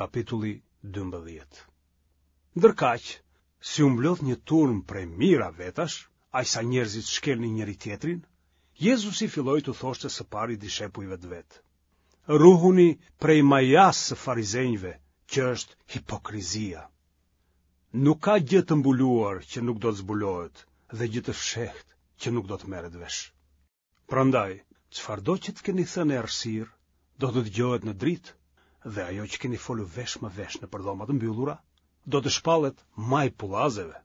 Kapitulli 12 Ndërkaq, si u mblodh një turmë prej mijëra vetash, aq sa njerëzit shkelnin njëri-tjetrin, Jezusi filloi t'u thoshte së pari dishepujve të vet. Ruhuni prej majasë së farizenjve, që është hipokrizia. Nuk ka gjë të mbuluar që nuk do të zbulohet dhe gjë të fshehtë që nuk do të merret vesh. Prandaj, çfarëdo që të keni thënë në errësirë, do të dëgjohet në dritë, dhe ajo që keni folur vesh më vesh nëpër dhoma të mbyllura, do të shpallet majë pullazeve.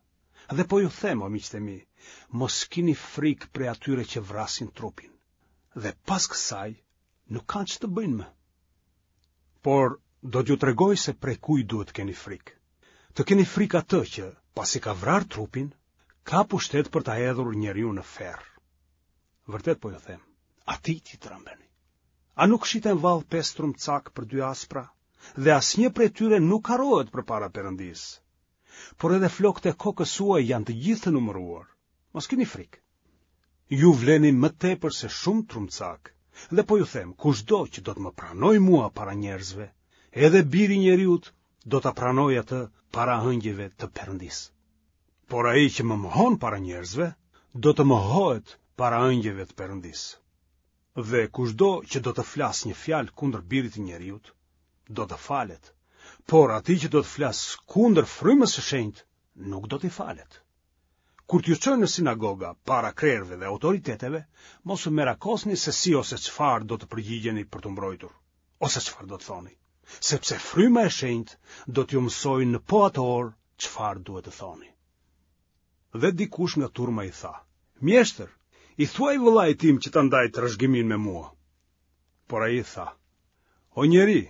Dhe po ju them, o miqtë e mi, mos kini frikë prej atyre që vrasin trupin. Dhe pas kësaj, nuk kanë ç'të bëjnë më. Por do t'ju tregoj se prej kujt duhet të keni frikë. Të keni frikë atë që, pasi ka vrarë trupin, ka pushtet për ta hedhur njeriun në ferr. Vërtet po ju them, atij t'i trembeni. A nuk shiten vallë pesë trumcakë për dy aspra, dhe asnjë prej tyre nuk harrohet përpara Perëndisë. Por edhe flokët e kokës suaj janë të gjithë të numëruar. Mos kini frikë. Ju vleni më tepër se shumë trumcakë, dhe po ju them, kushdo që do të më pranojë mua para njerëzve, edhe biri i njeriut do ta pranojë atë para ëngjëjve të Perëndisë. Por ai që më mohon para njerëzve, do të mohohet para ëngjëjve të Perëndisë. Dhe kushdo që do të flasë një fjalë kundër birit të njeriut, do të falet, por atij që do të flasë kundër frymës së shenjtë, nuk do t'i falet. Kur t'ju çojnë në sinagoga para krerëve dhe autoriteteve, mos u merakosni se si ose çfarë do të përgjigjeni për t'u mbrojtur. ose çfarë do të thoni, sepse fryma e shenjtë do t'ju mësojë në po atë orë çfarë duhet të thoni. Dhe dikush nga turma i tha, mjeshtër, i thuaj vëllait tim që ta ndajë trashëgiminë me mua. Por ai i tha, o njeri,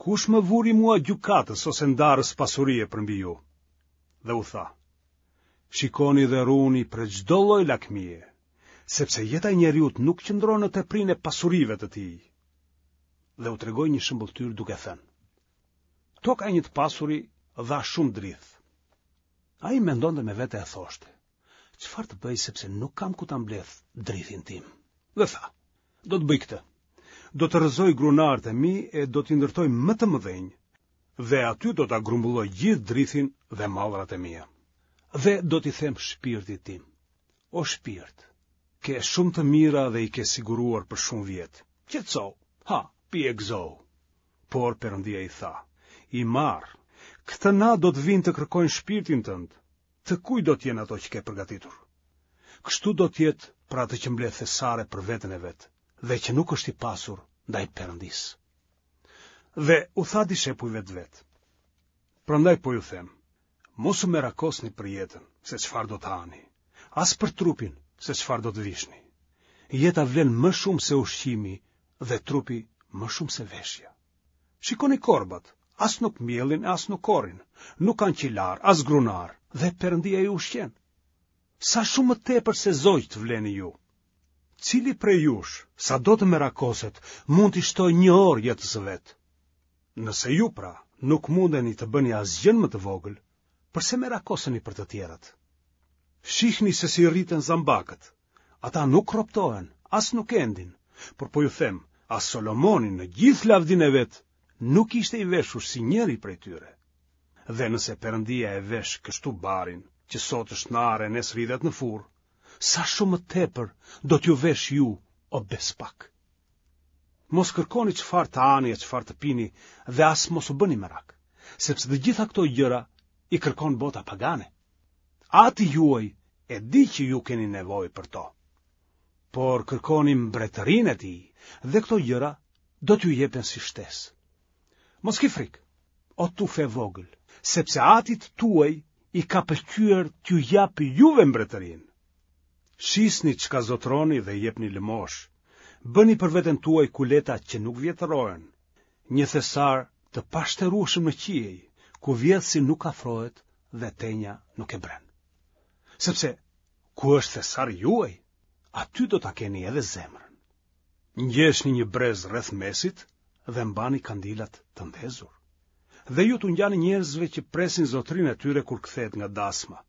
kush më vuri mua gjykatës ose ndarës pasurie përmbi ju? Dhe u tha, shikoni dhe ruhuni prej çdo lloj lakmie, sepse jeta e njeriut nuk qëndron në teprinë e pasurive të tij. Dhe u tregoi një shëmbëlltyrë duke thënë: Toka e një të pasuri dha shumë drithë. Ai mendonte me vete e thoshte: Çfarë të bëj sepse nuk kam ku ta mbledh drithin tim? Dhe tha: Do të bëj këtë. Do të rrëzoj grunarët e mi e do t'i ndërtoj më të mëdhenj dhe aty do ta grumbulloj gjithë drithin dhe mallrat e mia. Dhe do t'i them shpirtit tim: O shpirt, ke shumë të mira dhe i ke siguruar për shumë vjet. Qetësohu, ha, pi e gëzohu. Por Perëndia i tha, i marrë, këtë natë do të vijnë të kërkojnë shpirtin tënd. Të kujt do të jenë ato që ke përgatitur? Kështu do të jetë për atë që mbledh thesare për veten e vet dhe që nuk është i pasur ndaj Perëndisë. Dhe u tha dishepujve të vet. Prandaj po ju them, Mos u merakosni për jetën, se çfarë do të hani, as për trupin, se çfarë do të vishni. Jeta vlen më shumë se ushqimi dhe trupi më shumë se veshja. Shikoni korbat, as nuk mbjellin e as nuk korrin, nuk kanë qilarë, as grunarë, dhe Perëndia i ushqen. Sa shumë më tepër se zogjtë vleni ju. Cili prej jush, sado të merakoset, mund t'i shtojë një orë jetës së vet? Nëse ju pra nuk mundeni të bëni asgjënë më të vogël, përse merakoseni për të tjerët? Shihni se si rriten zambakët. Ata nuk roptohen, as nuk endin, por po ju them, as Solomoni në gjithë lavdinë e vet nuk ishte i veshur si njëri prej tyre. Dhe nëse Perëndia e vesh kështu barin, që sot është në arë e nesër hidhet në furrë, sa shumë më tepër do t'ju veshë ju, o bespak. Mos kërkoni çfarë të hani e çfarë të pini dhe as mos u bëni merak, sepse të gjitha këto gjëra i kërkon bota pagane. Ati juaj e di që ju keni nevojë për to. Por kërkoni mbretërinë e tij dhe këto gjëra do t'ju jepen si shtesë. Mos ki frikë, o tufë e vogël, sepse atit tuaj i ka pëlqyer t'ju japë juve mbretërinë. Shisni çka zotëroni dhe jepni lëmoshë. Bëni për veten tuaj kuleta që nuk vjetërohen, një thesar të pashterueshëm në qiej, ku vjedhësi nuk afrohet dhe tenja nuk e bren. Sepse ku është thesari juaj, aty do ta keni edhe zemrën. Ngjeshni një brez rreth mesit dhe mbani kandilat të ndezur. Dhe ju t'u ngjani njerëzve që presin zotërinë e tyre kur kthehet nga dasma,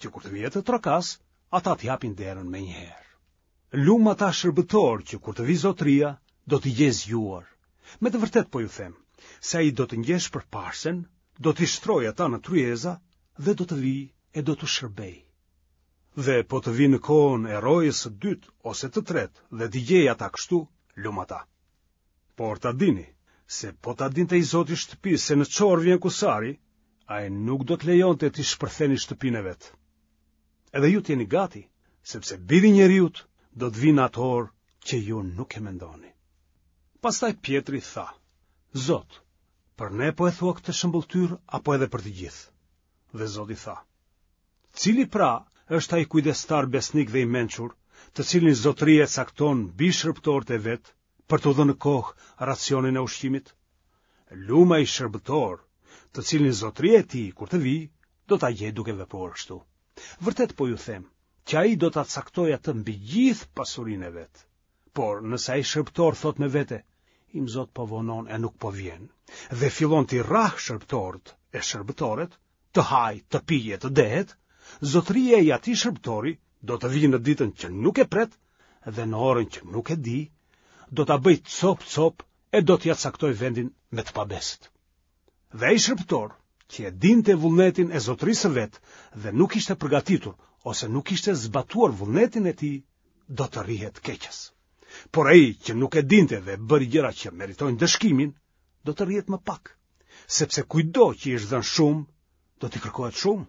që kur të vijë të trokasë, ata t'i hapin derën menjëherë. Lum ata shërbëtorë që kur të vijë zotëria, do t'i gjejë zgjuar. Me të vërtetë po ju them, se ai do të ngjeshë përparësen, do t'i shtrojë ata në tryeza dhe do të vijë e do t'u shërbejë. Dhe po të vijë në kohën e rojës së dytë ose të tretë dhe t'i gjejë ata kështu, lum ata. Por ta dini, se po ta dinte i zoti i shtëpisë se në ç'orë vjen kusari, ai nuk do të lejonte t'i shpërthenin shtëpinë e vet. Edhe ju të jeni gati, sepse biri i njeriut do të vijë në atë orë që ju nuk e mendoni. Pastaj Pjetri tha, Zot, për ne po e thua këtë shëmbëlltyrë apo edhe për të gjithë? Dhe Zoti tha, Cili pra është ai kujdestar besnik dhe i mençur, të cilin zotëria e cakton mbi shërbëtorët e vet, për t'u dhënë në kohë racionin e ushqimit? Lum ai shërbëtor, të cilin zotëria e tij, kur të vijë, do ta gjejë duke vepruar kështu. Vërtet po ju them, që ai do ta caktojë atë mbi gjithë pasurinë e vet. Por, nëse ai shërbëtor thotë me vete, im zot po vonon e nuk po vjen, dhe fillon t'i rrahë shërbëtorët e shërbëtoret, të hajë, të pijë e të dehet, zotëria i atij shërbëtori do të vijë në ditën që nuk e pret dhe në orën që nuk e di, do ta bëjë copë-copë e do t'ia caktojë vendin me të pabesët. Dhe ai shërbëtor, që e dinte vullnetin e zotërisë së vet dhe nuk ishte përgatitur ose nuk kishte zbatuar vullnetin e tij, do të rrihet keqas. Por ai që nuk e dinte dhe bëri gjëra që meritojnë ndëshkimin, do të rrihet më pak, sepse kujtdo që i është dhënë shumë, do t'i kërkohet shumë,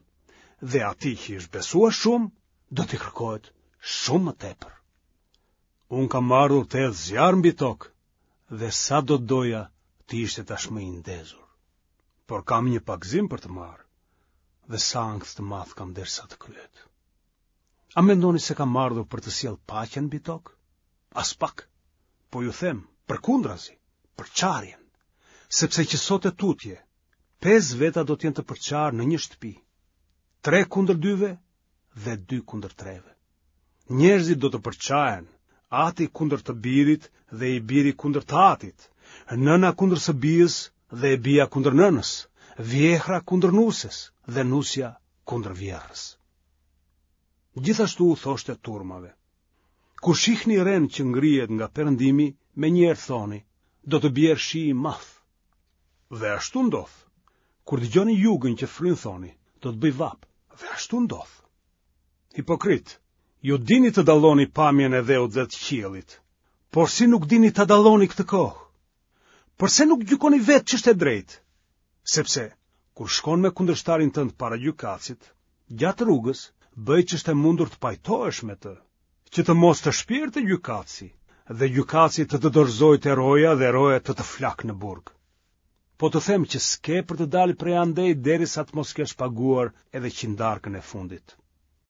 dhe atij që i është besuar shumë, do t'i kërkohet shumë më tepër. Unë kam ardhur të hedh zjarr mbi tokë dhe sa do të doja të ishte tashmë i ndezur. Por kam një pagëzim për të marrë dhe sa ankth të madh kam derisa të kryhet. A mendoni se kam ardhur për të sjellë paqen mbi tokë? Aspak. Po ju them, përkundrazi, përçarjen. Sepse që sot e tutje, pesë veta do të jenë të përçarë në një shtëpi. Tre kundër dyve dhe dy kundër treve. Njerëzit do të përçahen, ati kundër të birit dhe i biri kundër të atit, nëna kundër së bijës dhe e bija kundër nënës, vjehrra kundër nuses dhe nusja kundër vjehrrës. Gjithashtu u thoshte turmave, Kur shihni renë që ngrihet nga perëndimi, menjëherë thoni, do të bjerë shi i madh. Dhe ashtu ndodh. Kur dëgjoni jugën që fryn thoni, do të bëjë vapë. Dhe ashtu ndodh. Hipokritë, ju dini të dalloni pamjen e dheut dhe të qiellit, por si nuk dini ta dalloni këtë kohë? Përse nuk gjykoni vetë ç'është e drejtë? Sepse, kur shkon me kundërshtarin tënd para gjykatësit, gjatë rrugës, bëj ç'është e mundur të pajtohesh me të, që të mos të shpjerë te gjykatësi, dhe gjykatësi të të dorëzojë te roja dhe roja të të flakë në burg. Po të them që s'ke për të dalë prej andej derisa të mos kesh paguar edhe qindarkën e fundit.